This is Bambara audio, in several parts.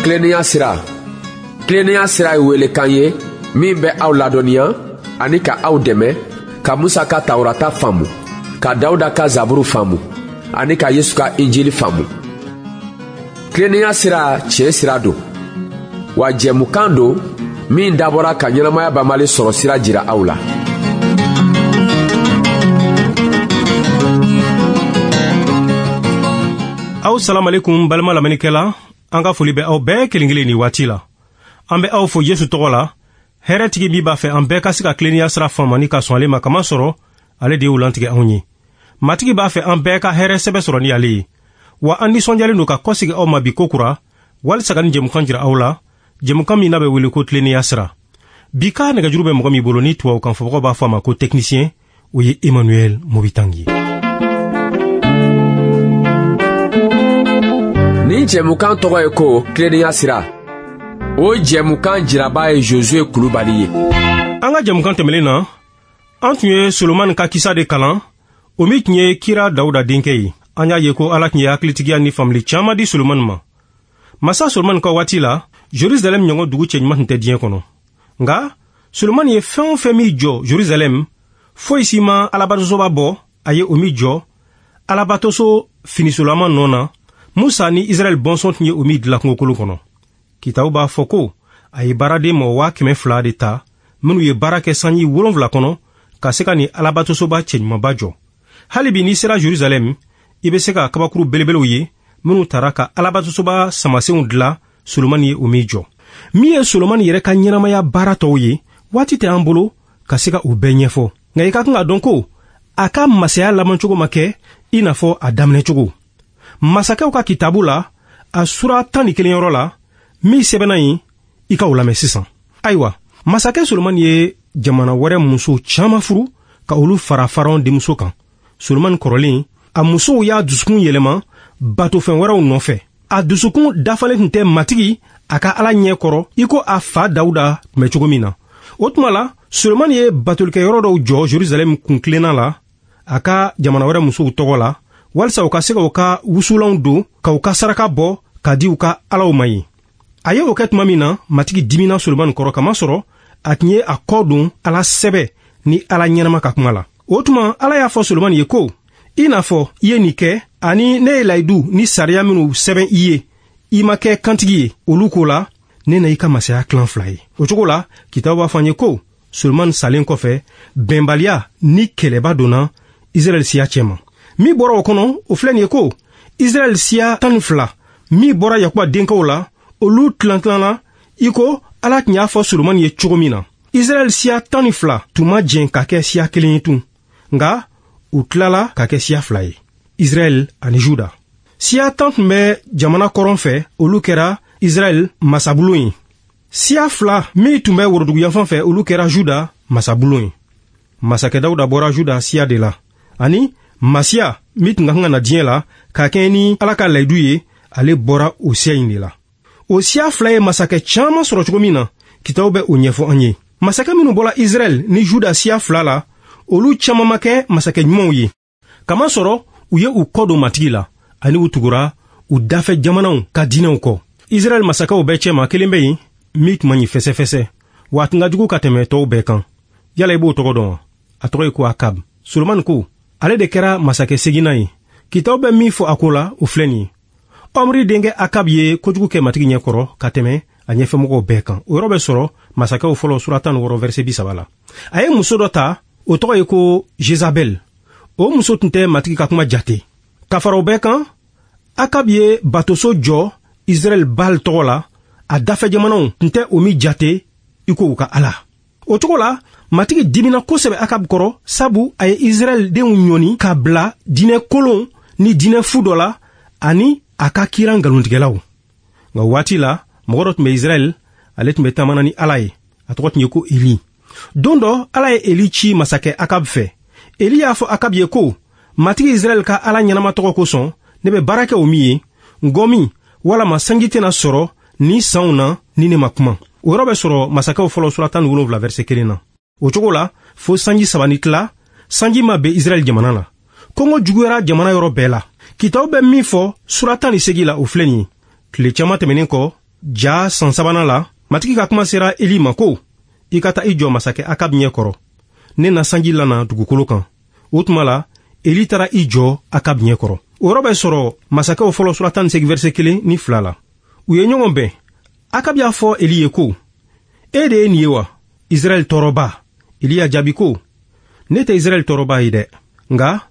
Tilennenya sira. Tilennenya sira ye welekan ye min bɛ aw ladɔnniya ani ka aw dɛmɛ ka Musa ka Tawurata faamu, ka Dawuda ka Zaburu faamu ani ka Yesu ka Injili faamu. Tilennenya sira tiɲɛ sira don. Wa jɛmukan don min dabɔra ka ɲɛnamaya banbali sɔrɔ sira jira aw la. Aw salamalekum balima lamɛnnikɛla, an ka foli bɛ aw bɛɛ kelen kelen nin waati la. An bɛ aw fo Yesu tɔgɔ la, hɛrɛtigi min b'a fɛ an bɛɛ ka se ka tilennenya sira faamu ani ka sɔn ale ma, kamasɔrɔ ale de y'o lantigɛ anw ye. Matigi b'a fɛ an bɛɛ ka hɛrɛ sɛbɛ sɔrɔ ni ale ye. Wa an nisɔndiyalen don ka kɔsegi aw ma bi kokura walisa ka nin jɛmukan jira aw la, jɛmukan min n'a bɛ wele ko tilennenya sira. Bi ka nɛgɛjuru bɛ mɔgɔ min bolo ni tubabukan fɔbagaw b'a fɔ a ma ko technicien, o ye Emmanuel Mobitangi ye. Nin jɛmukan tɔgɔ ye ko tilennenya sira. O jɛmukan jiraba ye Josue Kulubali ye. An ka jɛmukan tɛmɛlen na, an tun ye Solomani ka kisa de kalan, o min tun ye kira Dawuda denkɛ ye. An y'a ye ko Ala tun ye hakilitigiya ni faamuli caman di Solomani ma. Masa Solomani ka waati la, Jerusalɛm ɲɔgɔn dugu cɛɲuman tun tɛ diɲɛ kɔnɔ. Nka Solomani ye fɛn o fɛn min jɔ Jerusalɛm, foyi si ma Alabatosoba bɔ a ye o min jɔ Alabatoso finisolama nɔ na, Musa ni Israɛl bɔnsɔn tun ye o min dilan kungokolon kɔnɔ. Kitabu b'a fɔ ko a ye baaraden mɔgɔ 200,000 de ta minnu ye baara kɛ sanji 7 kɔnɔ ka se ka nin Alabatosoba cɛɲumanba jɔ. Hali bi n'i sera Jerusalɛm, i bɛ se ka kabakuru belebelew ye minnu tara ka Alabatosoba samasenw dilan Solomani ye o min jɔ. Min ye Solomani yɛrɛ ka ɲɛnamaya baara tɔw ye, waati tɛ an bolo ka se ka o bɛɛ ɲɛfɔ. Nka i ka kan k'a dɔn ko a ka masaya labancogo ma kɛ i n'a fɔ a daminɛcogo. Masakɛw ka kitabu la, a sura 11 yɔrɔ la, min sɛbɛnna yen, i ka o lamɛn sisan. Ayiwa, masakɛ Solomani ye jamana wɛrɛ muso caman furu ka olu fara Faraon denmuso kan. Solomani kɔrɔlen, a musow y'a dusukun yɛlɛma batofɛn wɛrɛw nɔfɛ. A dusukun dafalen tun tɛ Matigi a ka Ala ɲɛ kɔrɔ i ko a fa Dawuda tun bɛ cogo min na. O tuma la, Solomani ye batolikɛyɔrɔ dɔw jɔ Jerusalɛm kuntilenna la a ka jamana wɛrɛ musow tɔgɔ la, walisa u ka se ka u ka wusulanw don ka u ka saraka bɔ ka di u ka alaw ma yen. A ye o kɛ tuma min na, Matigi dimina Solomani kɔrɔ, kamasɔrɔ a tun ye a kɔ don Ala sɛbɛ ni Ala ɲɛnama ka kuma la. O tuma Ala y'a fɔ Solomani ye ko, i n'a fɔ i ye nin kɛ, ani ne ye layidu ni sariya minnu sɛbɛn i ye, i ma kɛ kantigi ye olu ko la, ne na i ka masaya tilan fila ye. O cogo la, kitabu b'a fɔ an ye ko Solomani salen kɔfɛ, bɛnbaliya ni kɛlɛba donna Israɛl siya cɛma. Min bɔra o kɔnɔ, o filɛ nin ye ko Israɛl siya 12 min bɔra Yakuba denkɛw la, olu tilan-tilanna i ko Ala tun y'a fɔ Solomani ye cogo min na. Israɛl siya 12 tun ma jɛn ka kɛ siya kelen ye tun, nka u tilala ka kɛ siya fila ye, Israɛl ani Juda. Siya 10 tun bɛ jamana kɔrɔn fɛ, olu kɛra Israɛl masabulon ye. Siya 2 min tun bɛ woroduguyanfan fɛ, olu kɛra Juda masabulon ye. Masakɛ Dawuda bɔra Juda siya de la, ani Masiya min tun ka kan ka na diɲɛ la ka kɛɲɛ ni Ala ka layidu ye, ale bɔra o siya in de la. O siya fila ye masakɛ caman sɔrɔ cogo min na, kitabu bɛ o ɲɛfɔ an ye. Masakɛ minnu bɔra Israɛl ni Juda siya fila la, olu caman ma kɛ masakɛ ɲumanw ye, kamasɔrɔ u ye u kɔ don Matigi la, ani u tugura u dafɛ jamanaw ka diinɛw kɔ. Israɛl masakɛw bɛɛ cɛma kelen bɛ yen min tun man ɲi fɛsɛfɛsɛ, wa a tun ka jugu ka tɛmɛ tɔw bɛɛ kan. Yala i b'o tɔgɔ dɔn wa? A tɔgɔ ye ko Akab. Solomani ko ale de kɛra masakɛ seginnan ye. Kitabu bɛ min fɔ a ko la, o filɛ nin ye. Ɔmri denkɛ Akab ye kojugu kɛ Matigi ɲɛ kɔrɔ ka tɛmɛ a ɲɛfɛmɔgɔw bɛɛ kan. O yɔrɔ bɛ sɔrɔ Masakɛw fɔlɔ sura 16 verset 30 la. A ye muso dɔ ta, o tɔgɔ ye ko Jezabel. O muso tun tɛ Matigi ka kuma jate. Ka fara o bɛɛ kan, Akab ye batoso jɔ Israɛl Baal tɔgɔ la, a dafɛ jamanaw tun tɛ o min jate i ko u ka Ala. O cogo la, Matigi dimina kosɛbɛ Akab kɔrɔ, sabu a ye Israɛl denw ɲɔni ka bila diinɛ kolon ni diinɛ fu dɔ la, ani a ka kira nkalontigɛlaw. Nka o waati la, mɔgɔ dɔ tun bɛ Israɛl, ale tun bɛ taamana ni Ala ye. A tɔgɔ tun ye ko Eli. Don dɔ, Ala ye Eli ci masakɛ Akab fɛ. Eli y'a fɔ Akab ye ko, Matigi Israɛl ka Ala ɲɛnama tɔgɔ kosɔn, ne bɛ baara kɛ o min ye, ngɔmi walama sanji tɛna sɔrɔ ni sanw na ni ne ma kuma. O yɔrɔ bɛ sɔrɔ Masakɛw fɔlɔ sura 17 verset 1 na. O cogo la, fo sanji 3 ni tila, sanji ma bɛn Israɛl jamana la. Kɔngɔ juguyara jamana yɔrɔ bɛɛ la. Kitabu bɛ min fɔ sura 18 la, o filɛ nin ye. Tile caman tɛmɛnen kɔ, ja san sabanan la, Matigi ka kuma sera Eli ma ko, i ka taa i jɔ masakɛ Akab ɲɛ kɔrɔ. Ne na sanji lana dugukolo kan. O tuma la, Eli taara i jɔ Akab ɲɛ kɔrɔ. O yɔrɔ bɛ sɔrɔ masakɛw fɔlɔ sura 18 verset 1 ni 2 la. U ye ɲɔgɔn bɛn. Akab y'a fɔ Eli ye ko, e de ye nin ye wa, Israɛl tɔɔrɔba? Eli y'a jaabi ko, ne tɛ Israɛl tɔɔrɔba ye dɛ, nka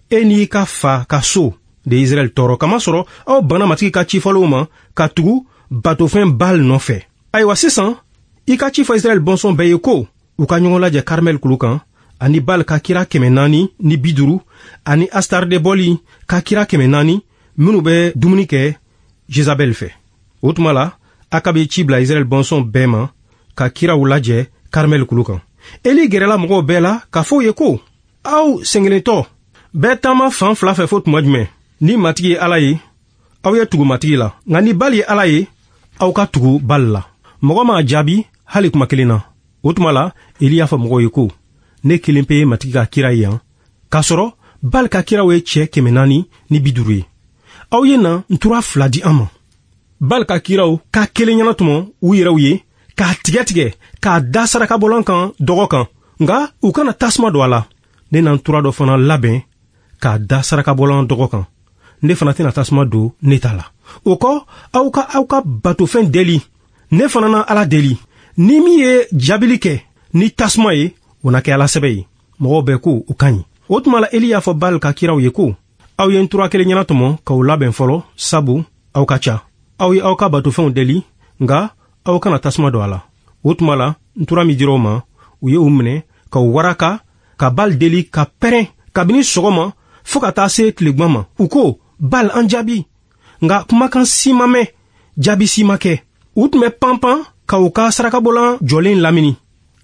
e n'i ka fa ka so de ye Israɛl tɔɔrɔ, kamasɔrɔ aw banna Matigi ka cifɔlenw ma ka tugu batofɛn Baal nɔfɛ. Ayiwa sisan, i ka ci fɔ Israɛl bɔnsɔn bɛɛ ye ko u ka ɲɔgɔn lajɛ Karmɛl kulu kan, ani Baal ka kira 450 ani Astardebɔli ka kira 400 minnu bɛ dumuni kɛ Jezabɛl fɛ. O tuma la, Akab ye ci bila Israɛl bɔnsɔn bɛɛ ma ka kiraw lajɛ Karmɛl kulu kan. Eli gɛrɛla mɔgɔw bɛɛ la k'a fɔ u ye ko, aw sɛgɛnlentɔ bɛɛ taama fan fila fɛ fo tuma jumɛn? Ni Matigi ye Ala ye, aw ye tugu Matigi la, nka ni Baal ye Ala ye, aw ka tugu Baal la. Mɔgɔ m'a jaabi hali kuma kelen na. O tuma la, Eli y'a fɔ mɔgɔw ye ko, ne kelen pe ye Matigi ka kira ye yan, k'a sɔrɔ Baal ka kiraw ye cɛ 450 ye. Aw ye na ntura 2 di an ma. Baal ka kiraw ka kelen ɲɛnatɔmɔ u yɛrɛw ye, k'a tigɛ tigɛ, k'a da sarakabɔlan kan dɔgɔ kan, nka u kana tasuma don a la. Ne na ntura dɔ fana labɛn k'a da sarakabɔlan dɔgɔ kan. Ne fana tɛna tasuma don ne ta la. O kɔ, aw ka aw ka batofɛn deli. Ne fana na Ala deli. Ni min ye jaabili kɛ ni tasuma ye, o na kɛ Ala sɛbɛ ye. Mɔgɔw bɛɛ ko o ka ɲi. O tuma la, Eli y'a fɔ Baal ka kiraw ye ko, aw ye ntura kelen ɲɛnatɔmɔ k'aw labɛn fɔlɔ, sabu aw ka ca. Aw ye aw ka batofɛnw deli, nka aw kana tasuma don a la. O tuma la, ntura min dira u ma, u ye u minɛ k'u waraka ka Baal deli ka pɛrɛn kabini sɔgɔma fo ka taa se tilegan ma. U ko, Baal, an jaabi. Nka kumakan si ma mɛn, jaabi si ma kɛ. U tun bɛ panpan ka u ka sarakabɔlan jɔlen lamini.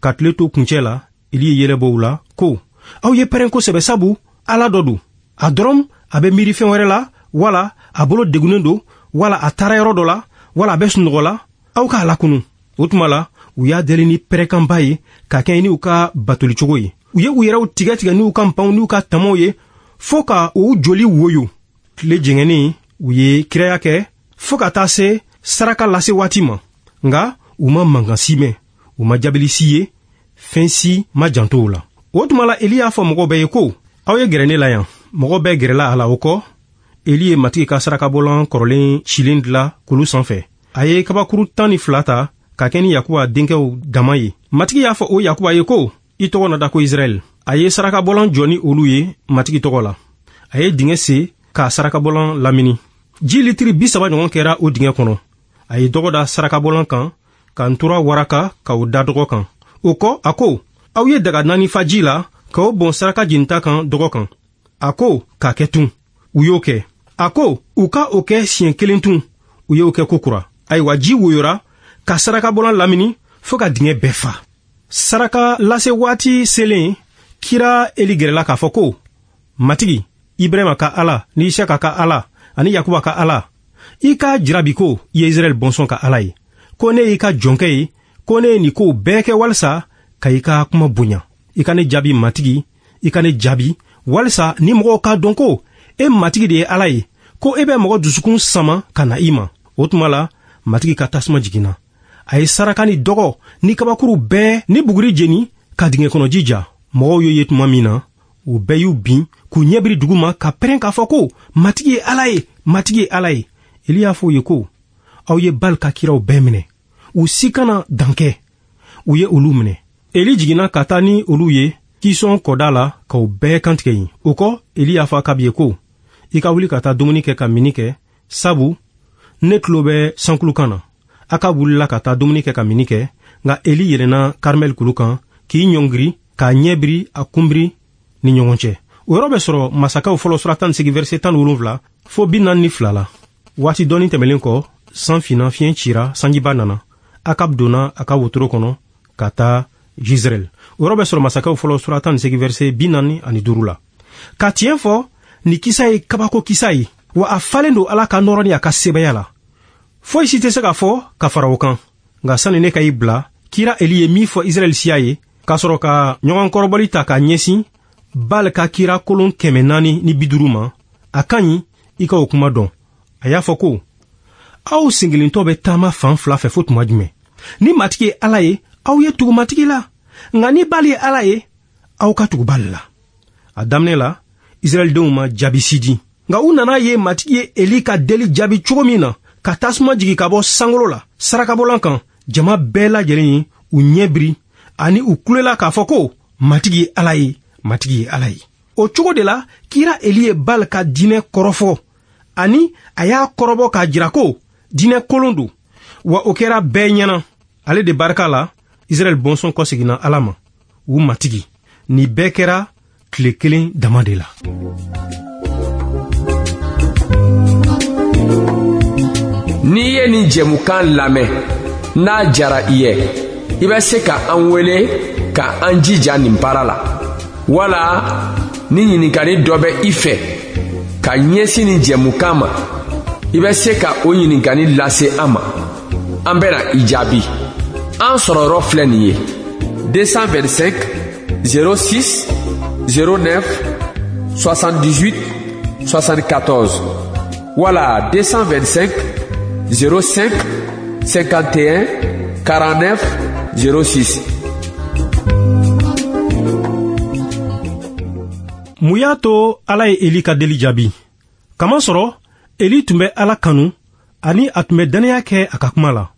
Ka tile to kuncɛ la, Eli ye yɛlɛ bɔ u la ko, aw ye pɛrɛn kosɛbɛ, sabu Ala dɔ don. A dɔrɔn a bɛ miiri fɛn wɛrɛ la, wala a bolo degunnen don, wala a taara yɔrɔ dɔ la, wala a bɛ sunɔgɔ la, aw k'a lakunu. O tuma la, u y'a deli ni pɛrɛnkanba ye ka kɛɲɛ n'u ka batolicogo ye. U ye u yɛrɛw tigɛ tigɛ n'u ka npanw n'u ka tamaw ye fo ka u joli woyo. Tile jɛngɛnnen, u ye kiraya kɛ fo ka taa se saraka lase waati ma, nka u ma mankan si mɛn, u ma jaabili si ye, fɛn si ma janto u la. O tuma la, Eli y'a fɔ mɔgɔw bɛɛ ye ko, aw ye gɛrɛ ne la yan. Mɔgɔ bɛɛ gɛrɛla a la. O kɔ, Eli ye Matigi ka sarakabɔlan kɔrɔlen cilen dila kulu sanfɛ. A ye kabakuru 12 ta ka kɛ ni Yakuba denkɛw dama ye. Matigi y'a fɔ o Yakuba ye ko, i tɔgɔ na da ko Israɛl. A ye sarakabɔlan jɔ ni olu ye Matigi tɔgɔ la. A ye dingɛ sen k'a sarakabɔlan lamini. Ji litiri 30 ɲɔgɔn kɛra o dingɛ kɔnɔ. A ye dɔgɔ da sarakabɔlan kan ka ntura waraka k'o da dɔgɔ kan. O kɔ, a ko, aw ye daga 4 fa ji la k'o bɔn saraka jenita kan dɔgɔ kan. A ko k'a kɛ tun. U y'o kɛ. A ko u ka o kɛ siɲɛ kelen tun. U y'o kɛ kokura. Ayiwa, ji woyora ka sarakabɔlan lamini fo ka dingɛ bɛɛ fa. Saraka lase waati selen, kira Eli gɛrɛla k'a fɔ ko, Matigi, Ibrahima ka Ala ni Isaka ka Ala ani Yakuba ka Ala, i k'a jira bi ko i ye Israɛl bɔnsɔn ka Ala ye, ko ne y'i ka jɔnkɛ ye, ko ne ye nin kow bɛɛ kɛ walisa ka i ka kuma bonya. I ka ne jaabi, Matigi, i ka ne jaabi, walisa ni mɔgɔw k'a dɔn ko e Matigi de ye Ala ye, ko e bɛ mɔgɔ dusukun sama ka na i ma. O tuma la, Matigi ka tasuma jiginna. A ye saraka ni dɔgɔ ni kabakuru bɛɛ ni buguri jeni ka dingɛ kɔnɔ ji ja. Mɔgɔw y'o ye tuma min na, u bɛɛ y'u bin k'u ɲɛ biri dugu ma ka pɛrɛn k'a fɔ ko, Matigi ye Ala ye, Matigi ye Ala ye. Eli y'a fɔ u ye ko, aw ye Baal ka kiraw bɛɛ minɛ, u si kana dan kɛ. U ye olu minɛ. Eli jiginna ka taa ni olu ye Kisɔn kɔda la k'u bɛɛ kantigɛ yen. O kɔ, Eli y'a fɔ Akabi ye ko, i ka wuli ka taa dumuni kɛ ka minni kɛ, sabu ne tulo bɛ sankulukan na. Akab wulila ka taa dumuni kɛ ka minni kɛ, nka Eli yɛlɛnna Karmɛl kulu kan k'i ɲɔngiri k'a ɲɛ biri a kunbiri ni ɲɔgɔn cɛ. O yɔrɔ bɛ sɔrɔ masakɛw fɔlɔ sura 18 verset 17 fo 42 la. Waati dɔɔni tɛmɛlen kɔ, san finna, fiɲɛ cira, sanjiba nana. Akab donna a ka wotoro kɔnɔ ka taa Jizreel. O yɔrɔ bɛ sɔrɔ masakɛw fɔlɔ sura 18 verset 45 la. Ka tiɲɛ fɔ, nin kisa ye kabako kisa ye, wa a falen don Ala ka nɔrɔ ni a ka sebaya la. Foyi si tɛ se ka fɔ ka fara o kan. Nka sani ne ka i bila, kira Eli ye min fɔ Israɛl siya ye, k'a sɔrɔ ka ɲɔgɔn kɔrɔbɔli ta k'a ɲɛsin Baal ka kira kolon 450 ma, a ka ɲi i ka o kuma dɔn. A y'a fɔ ko, Aw senkelentɔ bɛ taama fan fila fɛ fo tuma jumɛn? Ni Matigi ye Ala ye, aw ye tugu Matigi la, nka ni Bali ye Ala ye, aw ka tugu Bali la. A daminɛ la, Israɛldenw ma jaabi si di. Nka u nana ye Matigi ye Eli ka deli jaabi cogo min na, ka tasuma jigin ka bɔ sankolo la sarakabɔlan kan, jama bɛɛ lajɛlen ye u ɲɛ biri ani u kulela k'a fɔ ko Matigi ye Ala ye, Matigi ye Ala ye. O cogo de la, kira Eli ye Bali ka diinɛ kɔrɔfɔ, ani a y'a kɔrɔbɔ k'a jira ko diinɛ kolon don, wa o kɛra bɛɛ ɲɛna. Ale de barika la, Israɛl bɔnsɔn kɔseginna Ala ma, u Matigi. Nin bɛɛ kɛra tile kelen dama de la. N'i ye nin jɛmukan lamɛn, n'a jara i ye, i bɛ se ka an wele ka an jija nin baara la, wala ni ɲininkali dɔ bɛ i fɛ ka ɲɛsin nin jɛmukan ma, i bɛ se ka o ɲininkali lase an ma, an bɛna i jaabi. An sɔrɔ yɔrɔ filɛ nin ye: 225 06 09 78 74 wala 225 05 51 49 06. Mun y'a to Ala ye Eli ka deli jaabi? Kamasɔrɔ Eli tun bɛ Ala kanu ani a tun bɛ dannaya kɛ a ka kuma la.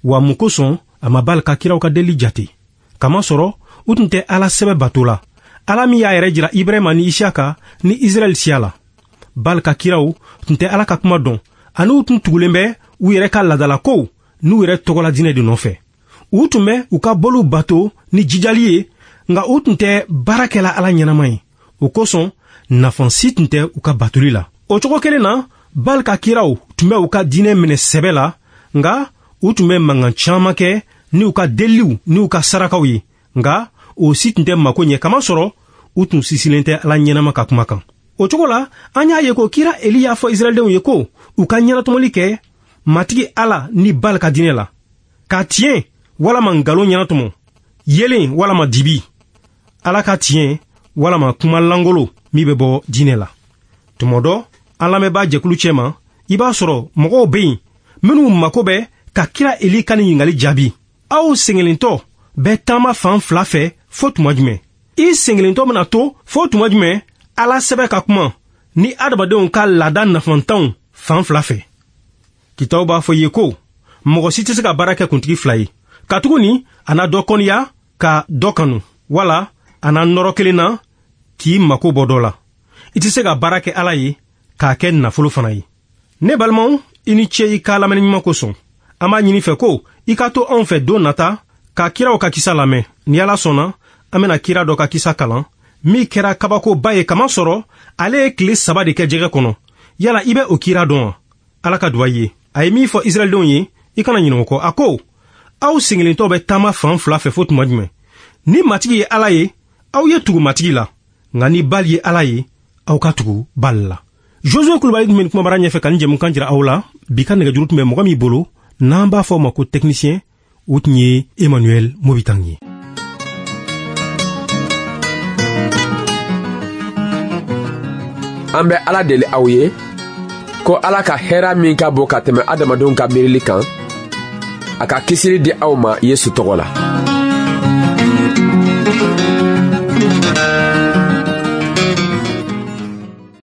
Wa mun kosɔn a ma Bali ka kiraw ka deli jate? Kamasɔrɔ u tun tɛ Ala sɛbɛ bato la, Ala min y'a yɛrɛ jira Ibrahima ni Isiyaka ni Israɛl siya la. Bali ka kiraw tun tɛ Ala ka kuma dɔn, ani u tun tugulen bɛ u yɛrɛ ka laadalakow n'u yɛrɛ tɔgɔla diinɛ de nɔfɛ. U tun bɛ u ka boliw bato ni jijali ye, nka u tun tɛ baara kɛla Ala ɲɛnama ye. O kosɔn nafa si tun tɛ u ka batoli la. O cogo kelen na, Bali ka kiraw tun bɛ u ka diinɛ minɛ sɛbɛ la, nka u tun bɛ mankan caman kɛ ni u ka deliliw ni u ka sarakaw ye, nka o si tun tɛ mako ɲɛ, kamasɔrɔ u tun sisilen tɛ Ala ɲɛnama ka kuma kan. O cogo la, an y'a ye ko kira Eli y'a fɔ Israɛldenw ye ko u ka ɲɛnatɔmɔli kɛ Matigi Ala ni Bali ka diinɛ la, ka tiɲɛ walama nkalon ɲɛnatɔmɔ, yelen walama dibi, Ala ka tiɲɛ walama kuma langolo min bɛ bɔ diinɛ la. Tuma dɔ, an lamɛnbaa jɛkulu cɛma, i b'a sɔrɔ mɔgɔw bɛ yen minnu mako bɛ ka kira Eli ka nin ɲininkali jaabi. Aw senkelentɔ bɛ taama fan fila fɛ fo tuma jumɛn? I senkelentɔ bɛna to fo tuma jumɛn Ala sɛbɛ ka kuma ni adamadenw ka laada nafantanw fan fila fɛ? Kitaw b'a fɔ i ye ko mɔgɔ si tɛ se ka baara kɛ kuntigi fila ye, katuguni a na dɔ kɔniya ka dɔ kanu, wala a na nɔrɔ kelen na k'i mako bɔ dɔ la. I tɛ se ka baara kɛ Ala ye k'a kɛ nafolo fana ye. Ne balimaw, i ni ce i ka lamɛnni ɲuman kosɔn. An b'a ɲini fɛ ko i ka to anw fɛ don nata ka kiraw ka kisa lamɛn. Ni Ala sɔnna, an bɛna kira dɔ ka kisa kalan min kɛra kabakoba ye, kamasɔrɔ ale ye tile 3 de kɛ jɛgɛ kɔnɔ. Yala i bɛ o kira dɔn wa? Ala ka duwa ye. A ye min fɔ Israɛldenw ye, i kana ɲinɛ o kɔ. A ko: aw senkelentɔ bɛ taama fan fila fɛ fo tuma jumɛn? Ni Matigi ye Ala ye, aw ye tugu Matigi la, nka ni Bali ye Ala ye, aw ka tugu Bali la. Josue Kulubali tun bɛ nin kumabara ɲɛfɛ ka nin jɛmukan jira aw la. Bi ka nɛgɛjuru tun bɛ mɔgɔ min bolo, n'an b'a fɔ o ma ko technicien, o tun ye Emmanuel Mobitang ye. An bɛ Ala deli aw ye ko Ala ka hɛra min ka bon ka tɛmɛ adamadenw ka miirili kan, a ka kisili di aw ma Yesu tɔgɔ la.